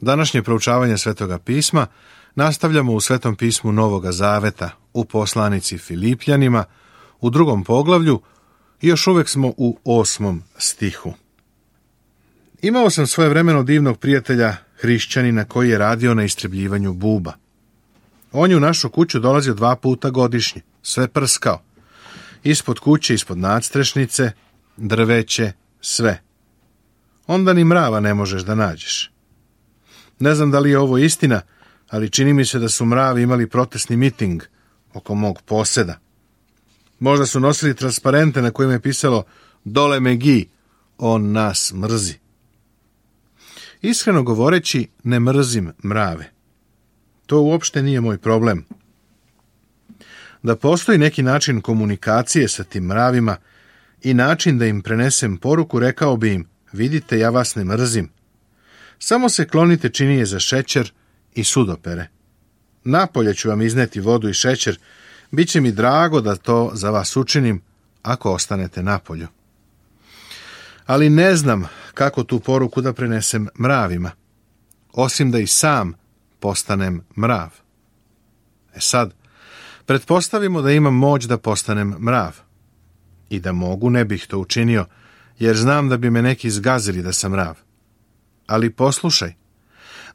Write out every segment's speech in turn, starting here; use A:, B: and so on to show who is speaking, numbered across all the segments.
A: Današnje proučavanje Svetoga pisma nastavljamo u Svetom pismu Novoga Zaveta, u poslanici Filipljanima, u 2. poglavlju i još uvek smo u 8. stihu. Imao sam svojevremeno divnog prijatelja, hrišćanina, koji je radio na istrebljivanju buba. On je u našu kuću dolazio 2 puta godišnje, sve prskao. Ispod kuće, ispod nadstrešnice, drveće, sve. Onda ni mrava ne možeš da nađeš. Ne znam da li je ovo istina, ali čini mi se da su mravi imali protestni miting oko mog poseda. Možda su nosili transparente na kojima je pisalo "Dole Megi, on nas mrzi". Iskreno govoreći, ne mrzim mrave. To uopšte nije moj problem. Da postoji neki način komunikacije sa tim mravima i način da im prenesem poruku, rekao bi im: vidite, ja vas ne mrzim. Samo se klonite činije za šećer i sudopere. Napolje ću vam izneti vodu i šećer, bit će mi drago da to za vas učinim ako ostanete napolju. Ali ne znam kako tu poruku da prenesem mravima, osim da i sam postanem mrav. Sad, pretpostavimo da imam moć da postanem mrav. I da mogu, ne bih to učinio, jer znam da bi me neki zgazili da sam mrav. Ali poslušaj,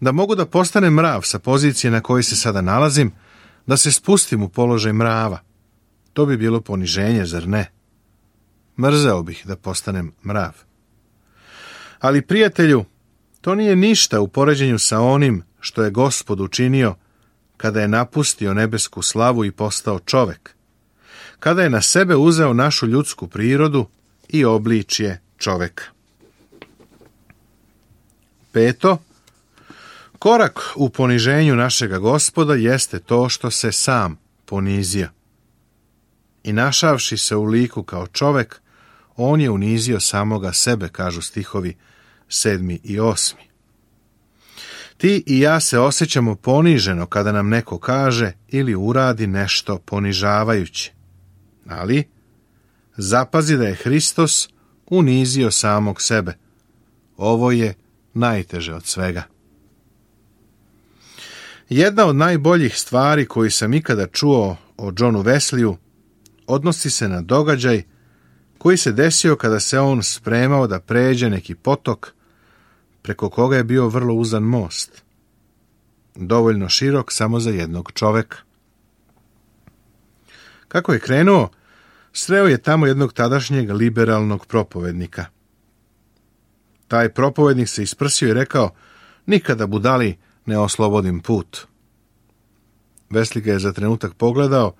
A: da mogu da postanem mrav sa pozicije na kojoj se sada nalazim, da se spustim u položaj mrava. To bi bilo poniženje, zar ne? Mrzeo bih da postanem mrav. Ali, prijatelju, to nije ništa u poređenju sa onim što je Gospod učinio kada je napustio nebesku slavu i postao čovek, kada je na sebe uzeo našu ljudsku prirodu i obličje čoveka. 5. Korak u poniženju našega Gospoda jeste to što se sam ponizio. I našavši se u liku kao čovek, on je unizio samoga sebe, kažu stihovi 7. i 8. Ti i ja se osjećamo poniženo kada nam neko kaže ili uradi nešto ponižavajuće. Ali zapazi da je Hristos unizio samog sebe. Ovo je najteže od svega. Jedna od najboljih stvari koju sam ikada čuo o Johnu Wesliju odnosi se na događaj koji se desio kada se on spremao da pređe neki potok preko koga je bio vrlo uzan most, dovoljno širok samo za jednog čoveka. Kako je krenuo, sreo je tamo jednog tadašnjeg liberalnog propovednika. Taj propovednik se isprsio i rekao: nikada budali ne oslobodim put. Wesley ga je za trenutak pogledao,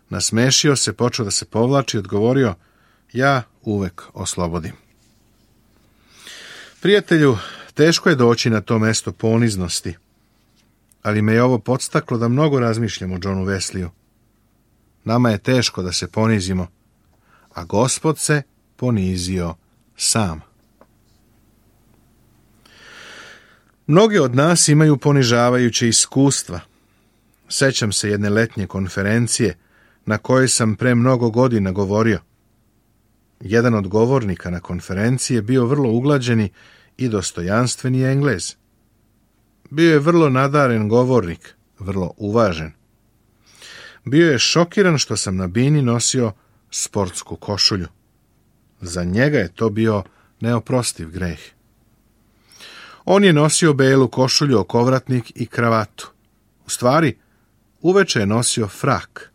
A: nasmešio se, počeo da se povlači i odgovorio: ja uvek oslobodim. Prijatelju, teško je doći na to mesto poniznosti, ali me je ovo podstaklo da mnogo razmišljam o Johnu Wesliju. Nama je teško da se ponizimo, a Gospod se ponizio sam. Mnogi od nas imaju ponižavajuće iskustva. Sećam se jedne letnje konferencije na kojoj sam pre mnogo godina govorio. Jedan od govornika na konferenciji je bio vrlo uglađeni i dostojanstveni Englez. Bio je vrlo nadaren govornik, vrlo uvažen. Bio je šokiran što sam na bini nosio sportsku košulju. Za njega je to bio neoprostiv greh. On je nosio belu košulju, okovratnik i kravatu. U stvari, uveče je nosio frak.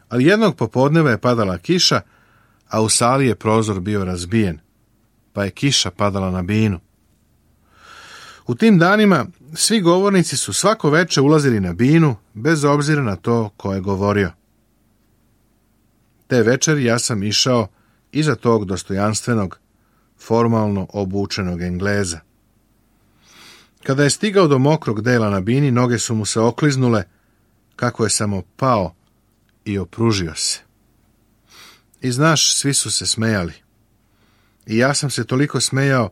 A: Ali jednog popodneva je padala kiša, a u sali je prozor bio razbijen, pa je kiša padala na binu. U tim danima svi govornici su svako veče ulazili na binu, bez obzira na to ko je govorio. Te večeri ja sam išao iza tog dostojanstvenog, formalno obučenog Engleza. Kada je stigao do mokrog dela na bini, noge su mu se okliznule, kako je samo pao i opružio se. I znaš, svi su se smejali. I ja sam se toliko smejao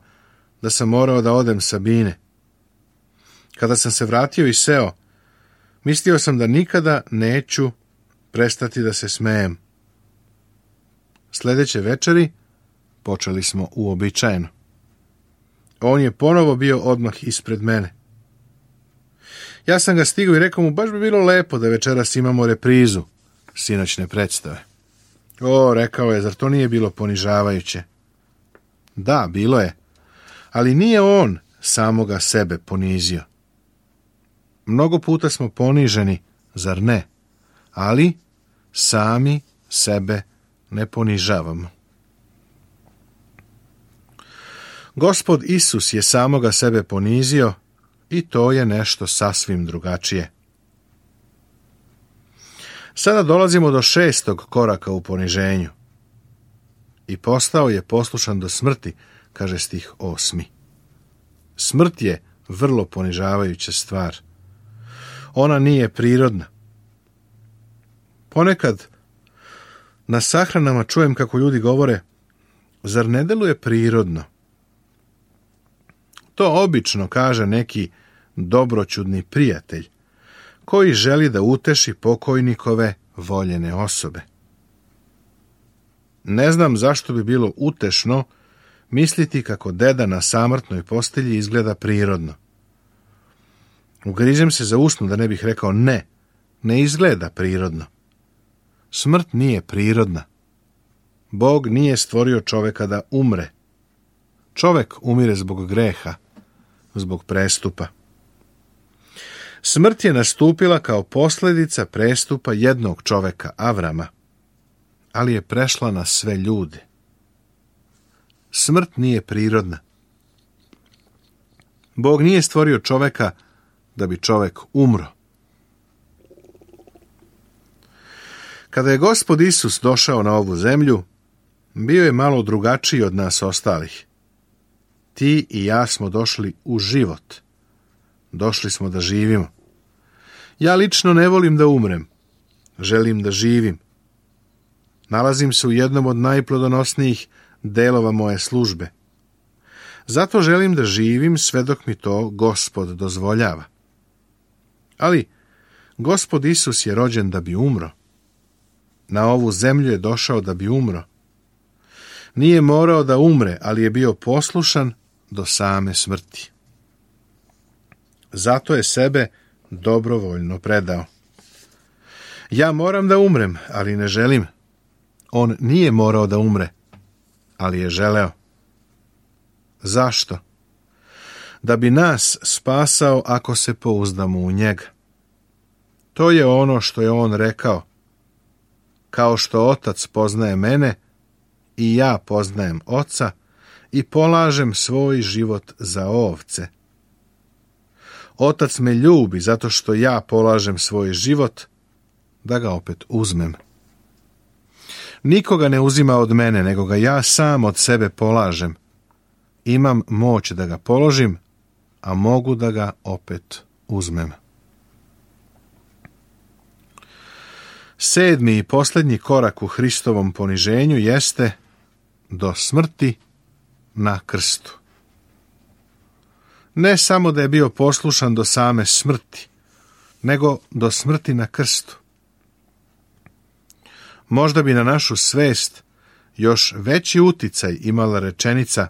A: da sam morao da odem sa bine. Kada sam se vratio i seo, mislio sam da nikada neću prestati da se smejem. Sljedeće večeri počeli smo uobičajeno. On je ponovo bio odmah ispred mene. Ja sam ga stigao i rekao mu, baš bi bilo lepo da večeras imamo reprizu sinoćne predstave. O, rekao je, zar to nije bilo ponižavajuće? Da, bilo je, ali nije on samoga sebe ponizio. Mnogo puta smo poniženi, zar ne? Ali sami sebe ne ponižavamo. Gospod Isus je samoga sebe ponizio i to je nešto sasvim drugačije. Sada dolazimo do 6. koraka u poniženju. I postao je poslušan do smrti, kaže stih 8. Smrt je vrlo ponižavajuća stvar. Ona nije prirodna. Ponekad na sahranama čujem kako ljudi govore, zar ne deluje prirodno? To obično kaže neki dobroćudni prijatelj, koji želi da uteši pokojnikove voljene osobe. Ne znam zašto bi bilo utešno misliti kako deda na samrtnoj postelji izgleda prirodno. Ugrizem se za usnu da ne bih rekao ne izgleda prirodno. Smrt nije prirodna. Bog nije stvorio čoveka da umre. Čovek umire zbog greha, zbog prestupa. Smrt je nastupila kao posljedica prestupa jednog čoveka, Avrama, ali je prešla na sve ljude. Smrt nije prirodna. Bog nije stvorio čoveka da bi čovek umro. Kada je Gospod Isus došao na ovu zemlju, bio je malo drugačiji od nas ostalih. Ti i ja smo došli u život. Došli smo da živimo. Ja lično ne volim da umrem. Želim da živim. Nalazim se u jednom od najplodonosnijih delova moje službe. Zato želim da živim sve dok mi to Gospod dozvoljava. Ali Gospod Isus je rođen da bi umro. Na ovu zemlju je došao da bi umro. Nije morao da umre, ali je bio poslušan do same smrti. Zato je sebe dobrovoljno predao. Ja moram da umrem, ali ne želim. On nije morao da umre, ali je želeo. Zašto? Da bi nas spasao ako se pouzdamo u njega. To je ono što je on rekao. Kao što Otac poznaje mene, i ja poznajem Oca i polažem svoj život za ovce. Otac me ljubi zato što ja polažem svoj život da ga opet uzmem. Nikoga ne uzima od mene, nego ga ja sam od sebe polažem. Imam moć da ga položim, a mogu da ga opet uzmem. 7. i posljednji korak u Hristovom poniženju jeste do smrti na krstu. Ne samo da je bio poslušan do same smrti, nego do smrti na krstu. Možda bi na našu svest još veći uticaj imala rečenica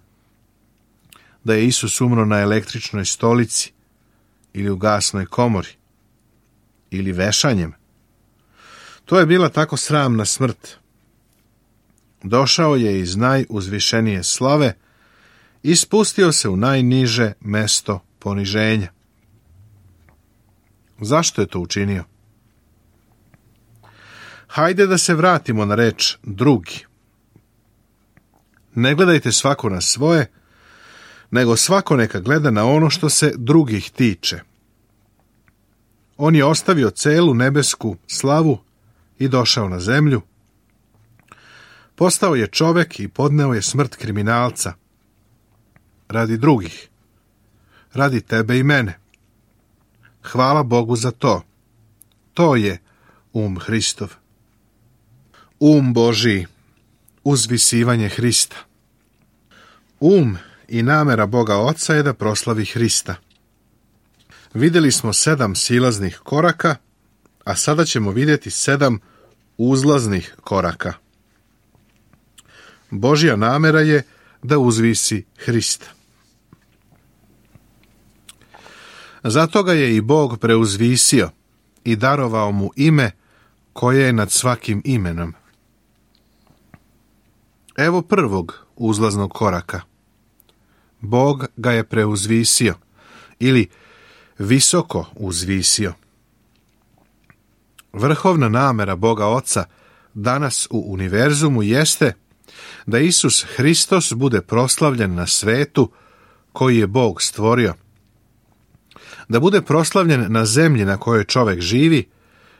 A: da je Isus umro na električnoj stolici ili u gasnoj komori ili vešanjem. To je bila tako sramna smrt. Došao je iz najuzvišenije slave i spustio se u najniže mesto poniženja. Zašto je to učinio? Hajde da se vratimo na reč drugi. Ne gledajte svako na svoje, nego svako neka gleda na ono što se drugih tiče. On je ostavio celu nebesku slavu i došao na zemlju. Postao je čovek i podneo je smrt kriminalca. Radi drugih. Radi tebe i mene. Hvala Bogu za to. To je Hristov. Božiji. Uzvisivanje Hrista. I namera Boga Oca je da proslavi Hrista. Vidjeli smo 7 silaznih koraka, a sada ćemo vidjeti 7 uzlaznih koraka. Božja namera je da uzvisi Hrista. Zato ga je i Bog preuzvisio i darovao mu ime koje je nad svakim imenom. Evo prvog uzlaznog koraka. Bog ga je preuzvisio ili visoko uzvisio. Vrhovna namera Boga Oca danas u univerzumu jeste da Isus Hristos bude proslavljen na svetu koji je Bog stvorio. Da bude proslavljen na zemlji na kojoj čovjek živi,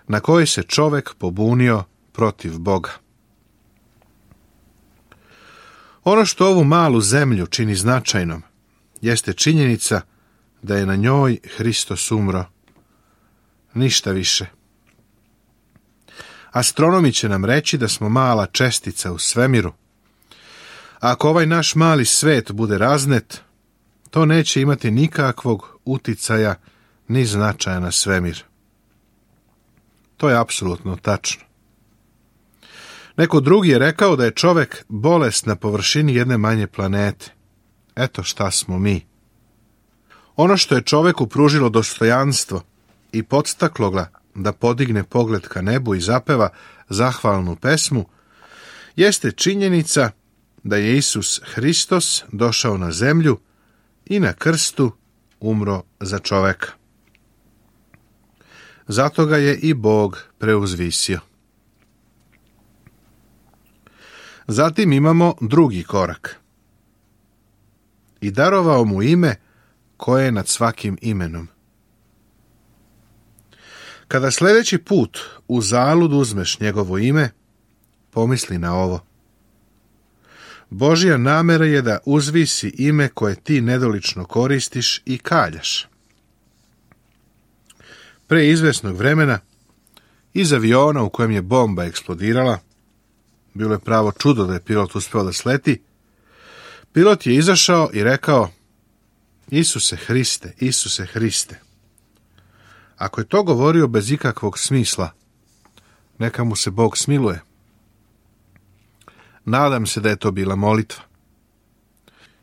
A: na kojoj se čovjek pobunio protiv Boga. Ono što ovu malu zemlju čini značajnom jeste činjenica da je na njoj Hristos umro. Ništa više. Astronomi će nam reći da smo mala čestica u svemiru. Ako ovaj naš mali svet bude raznet, to neće imati nikakvog uticaja ni značaja na svemir. To je apsolutno tačno. Neko drugi je rekao da je čovjek bolest na površini jedne manje planete. Eto šta smo mi. Ono što je čovjeku pružilo dostojanstvo i podstaklo ga da podigne pogled ka nebu i zapeva zahvalnu pesmu, jeste činjenica da je Isus Hristos došao na zemlju i na krstu umro za čovjeka. Zato ga je i Bog preuzvisio. Zatim imamo drugi korak. I darovao mu ime koje je nad svakim imenom. Kada sljedeći put u zalud uzmeš njegovo ime, pomisli na ovo. Božja namera je da uzvisi ime koje ti nedolično koristiš i kaljaš. Pre izvesnog vremena, iz aviona u kojem je bomba eksplodirala, bilo je pravo čudo da je pilot uspeo da sleti, pilot je izašao i rekao: Isuse Hriste, Isuse Hriste. Ako je to govorio bez ikakvog smisla, neka mu se Bog smiluje. Nadam se da je to bila molitva.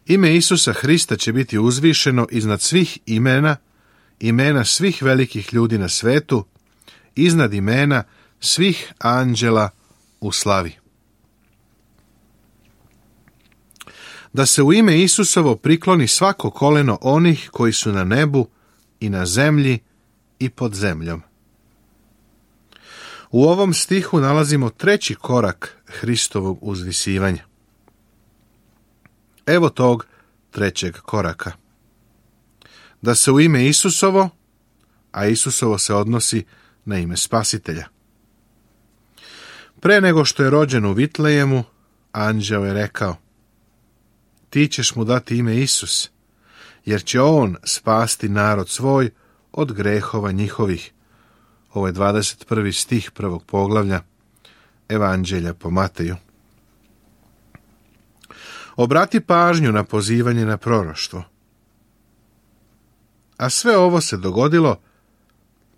A: Ime Isusa Hrista će biti uzvišeno iznad svih imena, imena svih velikih ljudi na svetu, iznad imena svih anđela u slavi. Da se u ime Isusovo prikloni svako koleno onih koji su na nebu i na zemlji i pod zemljom. U ovom stihu nalazimo treći korak Hristovog uzvisivanja. Evo tog trećeg koraka. Da se u ime Isusovo, a Isusovo se odnosi na ime Spasitelja. Pre nego što je rođen u Vitlejemu, anđeo je rekao: Ti ćeš mu dati ime Isus, jer će on spasti narod svoj od grehova njihovih. Ovo je 21. stih 1. poglavlja Evanđelja po Mateju. Obrati pažnju na pozivanje na proroštvo. A sve ovo se dogodilo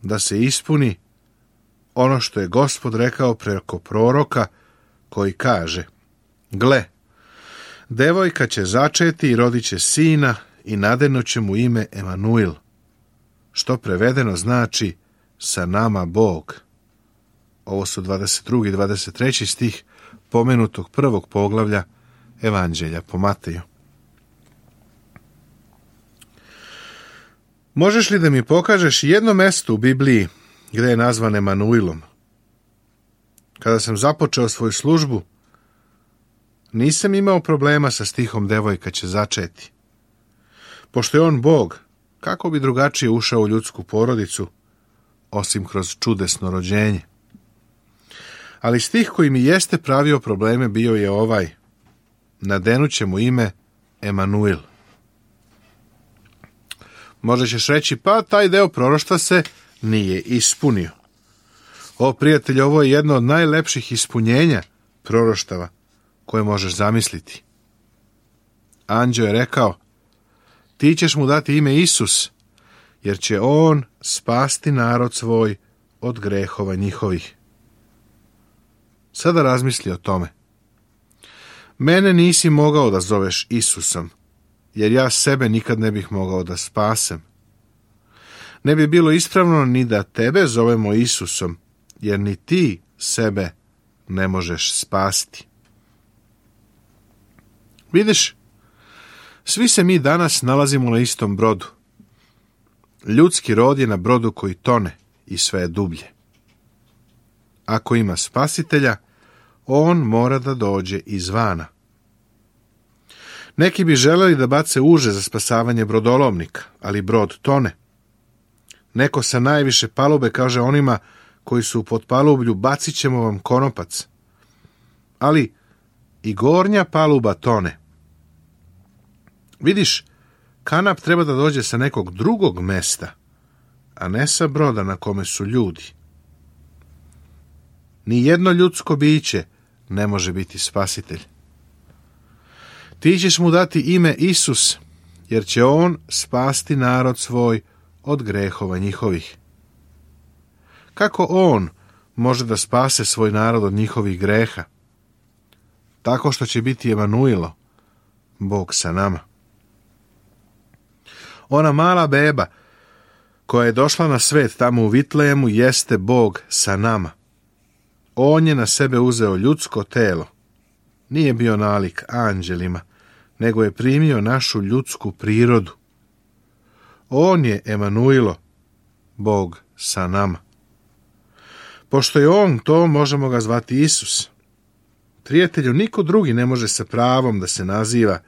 A: da se ispuni ono što je Gospod rekao preko proroka koji kaže: Gle, devojka će začeti i rodit će sina i nadenut će mu ime Emanuil, što prevedeno znači sa nama Bog. Ovo su 22. i 23. stih pomenutog 1. poglavlja Evanđelja po Mateju. Možeš li da mi pokažeš jedno mesto u Bibliji gdje je nazvan Emanuilom? Kada sam započeo svoju službu, nisam imao problema sa stihom devojka će začeti. Pošto je on Bog, kako bi drugačije ušao u ljudsku porodicu, osim kroz čudesno rođenje? Ali stih koji mi jeste pravio probleme bio je ovaj: nadenut će mu ime Emanuil. Možda ćeš reći, pa taj deo proroštva se nije ispunio. O, prijatelj, ovo je jedno od najlepših ispunjenja proroštava koje možeš zamisliti. Anđeo je rekao: Ti ćeš mu dati ime Isus, jer će on spasti narod svoj od grehova njihovih. Sada razmisli o tome. Mene nisi mogao da zoveš Isusom, jer ja sebe nikad ne bih mogao da spasem. Ne bi bilo ispravno ni da tebe zovemo Isusom, jer ni ti sebe ne možeš spasti. Vidiš, svi se mi danas nalazimo na istom brodu. Ljudski rod je na brodu koji tone i sve je dublje. Ako ima spasitelja, on mora da dođe izvana. Neki bi želeli da bace uže za spasavanje brodolovnika, ali brod tone. Neko sa najviše palube kaže onima koji su u potpalublju: bacit ćemo vam konopac. Ali i gornja paluba tone. Vidiš, kanap treba da dođe sa nekog drugog mesta, a ne sa broda na kome su ljudi. Ni jedno ljudsko biće ne može biti spasitelj. Ti ćeš mu dati ime Isus, jer će on spasti narod svoj od grehova njihovih. Kako on može da spase svoj narod od njihovih greha? Tako što će biti Emanuilo, Bog sa nama. Ona mala beba koja je došla na svet tamo u Vitlejemu jeste Bog sa nama. On je na sebe uzeo ljudsko telo. Nije bio nalik anđelima, nego je primio našu ljudsku prirodu. On je Emanuilo, Bog sa nama. Pošto je on to, možemo ga zvati Isus. Prijatelju, niko drugi ne može sa pravom da se naziva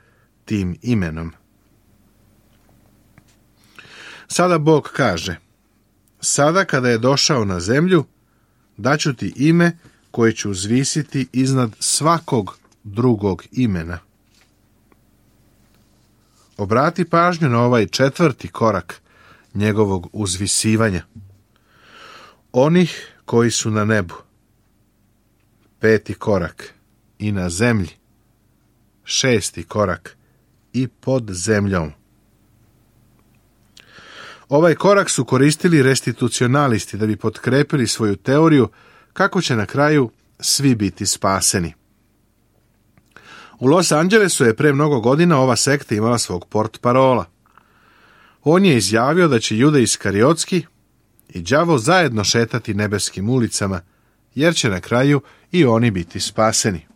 A: tim imenom. Sada Bog kaže: sada kada je došao na zemlju, daću ti ime koje ću uzvisiti iznad svakog drugog imena. Obrati pažnju na ovaj 4. korak njegovog uzvisivanja. Onih koji su na nebu. 5. korak i na zemlji. 6. korak i pod zemljom. Ovaj korak su koristili restitucionalisti da bi potkrepili svoju teoriju kako će na kraju svi biti spaseni. U Los Angelesu je pre mnogo godina ova sekta imala svog portparola. On je izjavio da će Juda Iskariotski i đavo zajedno šetati nebeskim ulicama, jer će na kraju i oni biti spaseni.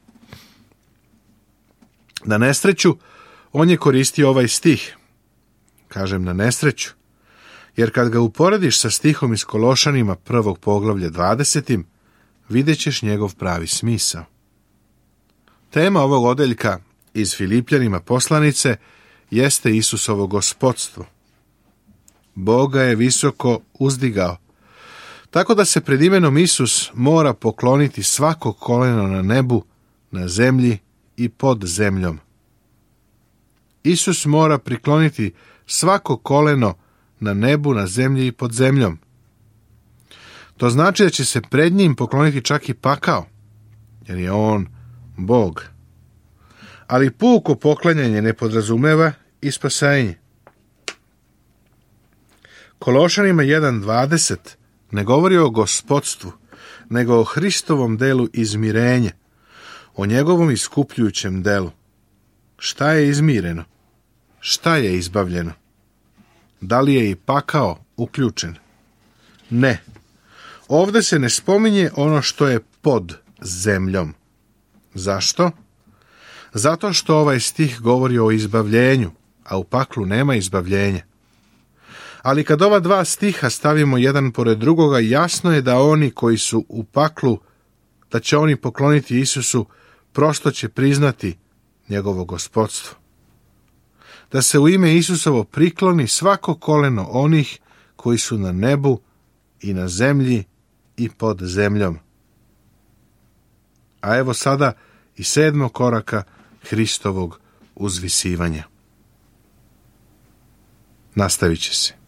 A: Na nesreću, on je koristio ovaj stih. Kažem na nesreću, jer kad ga uporediš sa stihom iz Kološanima 1. poglavlje 20. vidjet ćeš njegov pravi smisao. Tema ovog odeljka iz Filipljanima poslanice jeste Isusovo gospodstvo. Bog ga je visoko uzdigao, tako da se pred imenom Isus mora pokloniti svako koleno na nebu, na zemlji i pod zemljom. Isus mora prikloniti svako koleno na nebu, na zemlji i pod zemljom. To znači da će se pred njim pokloniti čak i pakao, jer je on Bog. Ali puko poklanjanje ne podrazumeva i spasenje. Kološanima 1.20 ne govori o gospodstvu, nego o Hristovom delu izmirenja, o njegovom iskupljujućem delu. Šta je izmireno? Šta je izbavljeno? Da li je i pakao uključen? Ne. Ovdje se ne spominje ono što je pod zemljom. Zašto? Zato što ovaj stih govori o izbavljenju, a u paklu nema izbavljenja. Ali kad ova dva stiha stavimo jedan pored drugoga, jasno je da oni koji su u paklu, da će oni pokloniti Isusu, prosto će priznati njegovo gospodstvo. Da se u ime Isusovo prikloni svako koleno onih koji su na nebu i na zemlji i pod zemljom. A evo sada i 7. koraka Hristovog uzvisivanja. Nastavit će se.